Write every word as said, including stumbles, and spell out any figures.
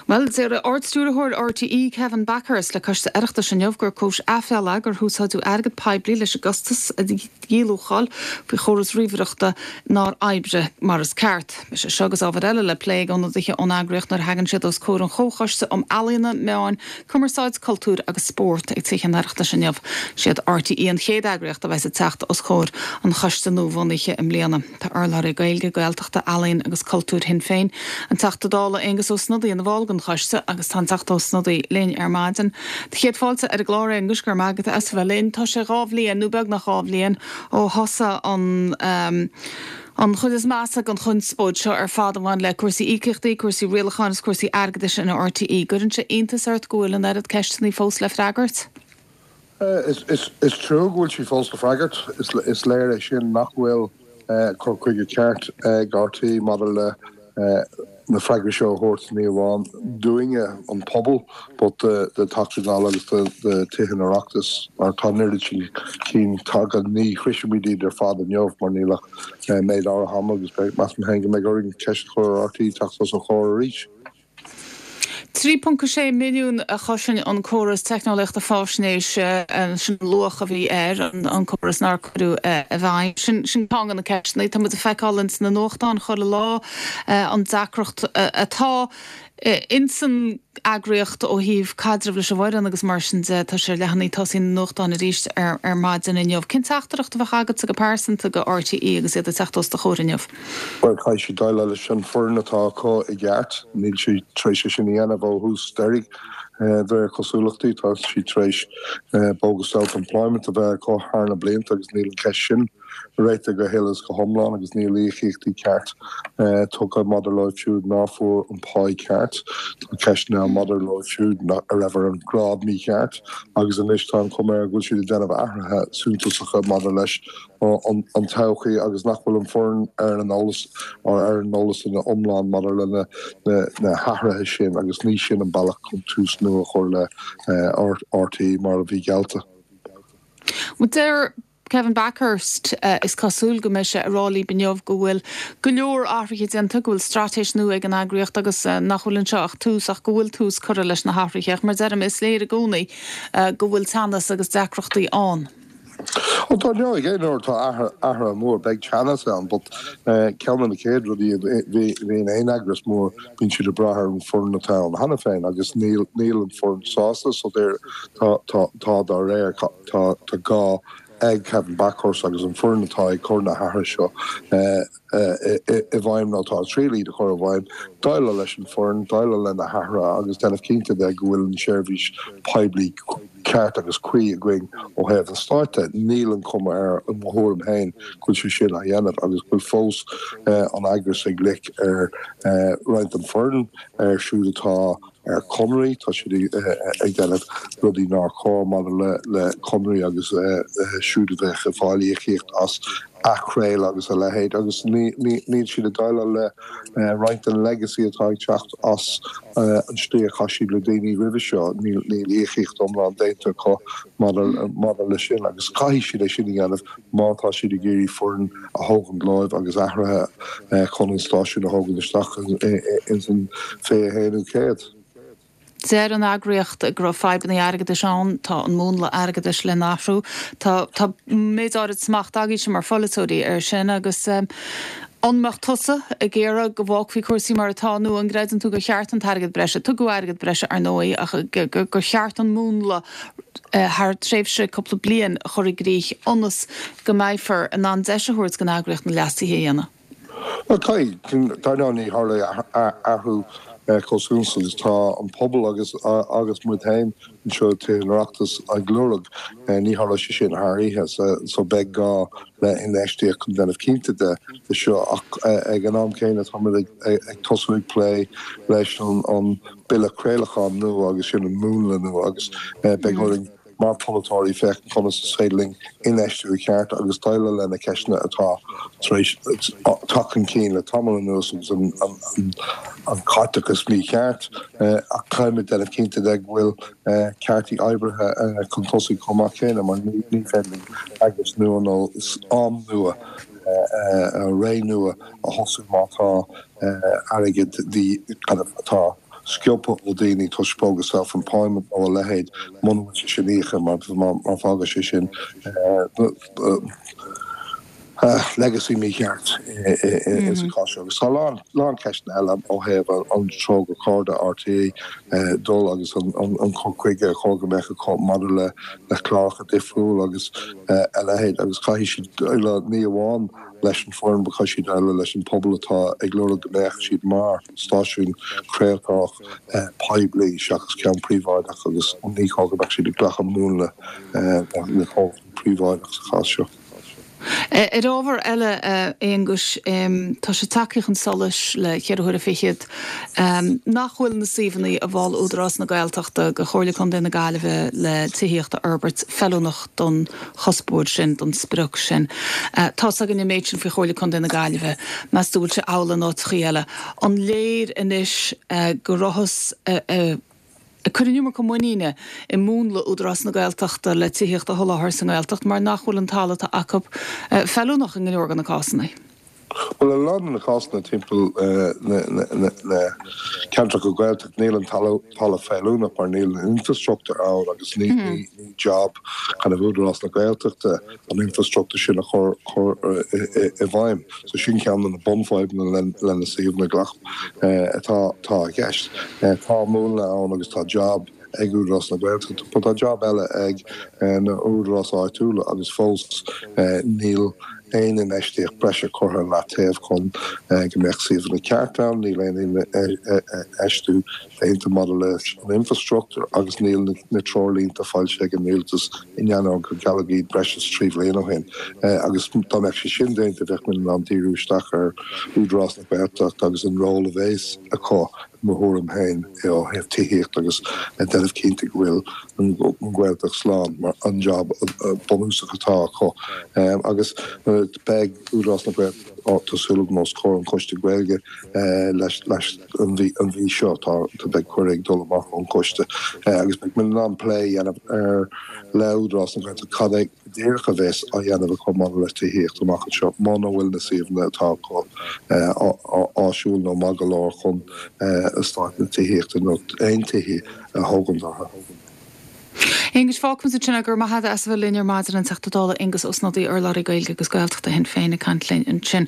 Bhuel, deir Ard-Stiúrthóir RTÉ Kevin Bakhurst le Coiste Oireachtais inniu gur cúis aiféala gur húsáideadh airgead poiblí leis an gcostas a dhíluacháil faoi chóras ríomhaireachta nár oibrigh mar is ceart. Beidh sé seo agus ábhar eile le plé ag ionadaithe ón eagraíocht nuair a thagann siad os comhair an Chomhchoiste um Ealaíona, Meáin, Cumarsáid, Cultúr agus Spórt ag Teach an Oireachtais inniu. Siad RTÉ an chéad eagraíocht a bheas ag teacht os comhair an choiste nuabhunaithe i mbliana. Tá urlabhraí Gaeilge, Gaeltachta, Ealaíon agus Cultúr Shinn Féin, an Teachta Dála Aengus Ó Snodaigh ina bhall den choiste agus tá an Teachta Ó Snodaigh linn ar maidin. Tá céad fáilte ar an gclár Aengus go raibh maith agat as bheith linn. Tá sé dhá bhliain nó beagnach dhá bhliain ó thosaigh an um, an chuid is measa den chonspóid seo ar fad a bhain le cúrsaí íocaíochtaí, cúrsaí rialacháin is cúrsaí airgeadais in RTÉ. Cuireann sé iontas ort go bhfuil an oiread ceisteanna fós le freagairt? Uh, is, is, is trua go bhfuil sí fós le freagairt is, is léir é sin nach bhfuil uh, cur chuige ceart ag uh, RTÉ maidir le uh, na freagraí seo a thabhairt ní amháin dúinne an pobal, but de de Teachtaí Dála agus de de Thithe an Oireachtais mar tá oiread sin cinn tagtha ní shroichfimid iad ar fad inniu mar níl ach méid áirithe ama agus measaim féin go mbeidh orainn ceist a chur ar RTÉ teacht os ár gcomhair arís. Trí ponc sé milliún a chosain an córas teicneolaíochta faisnéise sin luach a bhí air an, an córas nár cuireadh i bhfeidhm. Sin sin ceann de na ceisteanna Tá muid ag feiceáil sna nuachtáin chuile lá an deacracht atá insan eagraíocht ó thaobh caidreamh leis an bhfoireann agus mar sin de tá sé leathanaigh tosaigh na nuachtán arís ar, ar maidin inniu. Cén teachtaireacht a bheadh agat go pearsanta go RTÉ agus iad ag teacht os do chomhair inniu. Well caithfidh siad déileáil leis an foireann atá acu i gceart, níl siad tar éis sin a dhéanamh ó thús deiridh de réir cosúlachtaí tá siad tar éis bogus self-employment a bheith acu thar na blianta agus níl an ceist sin réitithe go huile is go hiomlán agus níl íocaíochtaí ceart tugtha maidir leo siúd nach bhfuair an pá ceart Tá ceisteanna maidir leo siúd a raibh ar an grád mícheart agus anois tá an chuma air go bhfuil siad ag déanamh athruithe suntasacha maidir leis an todhchaí agus nach bhfuil an foireann ar an eolas ar an eolas ina iomlán maidir le na na hathruithe sin agus ní sin an bealach chun tús nua a chur le RTÉ mar a bhí geallta. Deir Kevin Bakhurst uh, is cosúil go mbeidh sé ag rá libh inniu go bhfuil go leor athruithe déanta go bhfuil straitéis nua ag an eagraíocht agus uh, nach bhfuil anseo ach tús ach go bhfuil tús curtha leis na hathruithe mar deirim is léir i gcónaí uh, go bhfuil teannas agus deacrachtaí ann. Ó tá aon uair tá athrú mór beidh teannas ann, but ceann de na chéad rudaí bhíonn aon eagras mór bíonn siad ag brath ar an foireann atá ann cheana féin agus níl níl an foireann sásta so tá tá dá réir tá tá gá ag Kevin Bakhurst agus an foireann atá ag cur na hathruithe seo i bhfeidhm nó tá trílí de chur i bhfeidhm, déileáil leis an foireann, déileáil le na hathruithe agus déanamh cinnte de go bhfuil an seirbhís poiblí ceart agus cuí againn ó thaobh an stáit. Níl an chuma air i mo thuairim féin go bhfuil sé sin á dhéanamh agus go bhfuil fós an eagras ag loic ar roinnt den foireann ar siúd atá ar conraí tá siad ag déanamh rudaí nár chóir maidir le le conraí agus siúd a bheith ag fáil íocaíocht as athchraoladh agus a leithéid agus níl siad ag déileáil le roinnt den legacy atá ag teacht as an slí a chaith siad le daoine roimhe seo níl níl íocaíocht iomlán déanta acu maidir le sin agus caithfidh siad é sin a dhéanamh má tá siad ag iarraidh foireann a thógaint leo agus athruithe chun an stáisiún a thógaint isteach ins an fiche haonú céad. Deir an eagraíocht go raibh fadhbanna airgeadais ann, tá an múnla airgeadais le n-athrú. Tá tá méid áirid smacht agaibhse mar pholaiteoirí ar sin agus um, an mbeadh tusa ag iarraidh go bhfágfaí cúrsaí mar atá nó an gcreideann tú gur cheart an t-airgead breise, tugadh airgead breise ar ndóigh ach gur cheart an múnla uh, thar tréimhse cúpla bliain a chur i gcrích ionas go mbeifear in ann deis a thabhairt don eagraíocht na leasuithe a dhéanamh. Well dar ndóigh ní tharlóidh athrú chomh agus tá an pobal agus agus muid féin anseo san Oireachtas ag lorg ní tharlóidh sé sin thar oíche so beidh gá le infheistíocht chun déanamh cinnte de de seo ach ag an am céanna tá ag tosú ag plé leis an an bille craolacháin nua agus sin an múnla nua agus beidh orainn mar pholaiteoirí féachaint conas is féidir linn infheistiú ceart agus déileáil le na ceisteanna atá tar éis teacht chun cinn le tamall anuas agus an, an, an, an caiteachas mícheart ach caithfimid déanamh cinnte de go bhfuil cearta oibrithe chun tosaigh chomh maith céanna mar ní ní féidir linn eagras nua nó am nua ré nua a thosú má tá airgead kind of atá sciobtha ó daoine toisc bogus self-employment nó a leithéid muna bhfuil sé sin íoctha mar mar fágann sé sin legacy mícheart sa chás seo. Agus tá lán lán ceisteanna eile ó thaobh an treo gur chóir do RTÉ dul agus an cur chuige a chóir go mbeadh acu maidir le le cláracha difriúil agus a leithéid agus caithfidh siad ní amháin leis an foireann but caithfidh siad déileáil leis an pobal atá ag lorg go mbeadh siad mar stáisiún craoltóireach poiblí seachas ceann príobháideach agus ní chóir go mbeadh siad ag glacadh múnla le comhlacht príobháideach sa chás seo. Ar ábhar eile, a Aonghuis, tá sé tagtha chun solais le ceithre huaire fichead nach bhfuil na suíomhanna a mhol Údarás na Gaeltachta go Chomhairle Contae na Gaillimhe le tithíocht a fhorbairt feiliúnach don chuspóir sin, don sprioc sin. Tá's againn an méid sin faoi Chomhairle Contae na Gaillimhe. Meas tú bhfuil sé amhlaidh in áiteachaí eile? An léir anois go rabhthas ag cur an iomarca muiníne i múnla Údarás na Gaeltachta le tithíocht a sholáthar sa nGaeltacht mar nach bhfuil an talamh atá acu feiliúnach i go leor de na cásanna. Bhuel, i lán de na cásanna timpeall na ceantracha Gaeltacht níl an talamh feiliúnach mar níl an infrastructúr ann agus ní job kind of Údarás na Gaeltachta an infrastructúr sin a chur i bhfeidhm. So sin ceann de na bunfhadhbanna le na suíomhanna gach atá atá i gceist. Tá múnla ann agus tá job ag Údarás na Gaeltachta, but tá job eile ag na údaráis áitiúla agus fós níl aon infheistíocht breise curtha le taobh chun go mbeadh suíomhanna ceart ann, níl aon infheistiú déanta maidir leis an infrastructúr agus níl na treoirlínte foilsithe ag an rialtas in ainneoin gur gealladh iad breis is trí bhliain ó shin. Agus dá mbeadh sé sin déanta bheadh muid in ann díriú isteach ar Údarás na Gaeltachta agus an ról a bheas acu i mo thuairim féin ó thaobh tithíocht agus déanamh cinnte go bhfuil an Ghaeltacht slán mar an job bunúsach atá acu. Agus beidh Údarás na Gaeltachta tá súil agam os comhair an Choiste Gaeilge leis leis an mhí an mhí seo tá beidh cuireadh ag dul amach ón gcoiste agus beidh muid in ann plé a dhéanamh ar le Údarás na Gaeltachta cad é go díreach a bheas á dhéanamh acu maidir le tithíocht amach anseo muna bhfuil na suíomhanna atá acu áisiúil nó maith go leor chun eastáit na tithíochta nó aon tithe a thógaint orthu. Aonghus, fágfaimid ansin é, go raibh maith agat as a bheith linn ar maidin, an Teachta Dála Aengus Ó Snodaigh, urlabhraí Gaeilge agus Gaeltachta Shinn Féin ag caint linn ansin.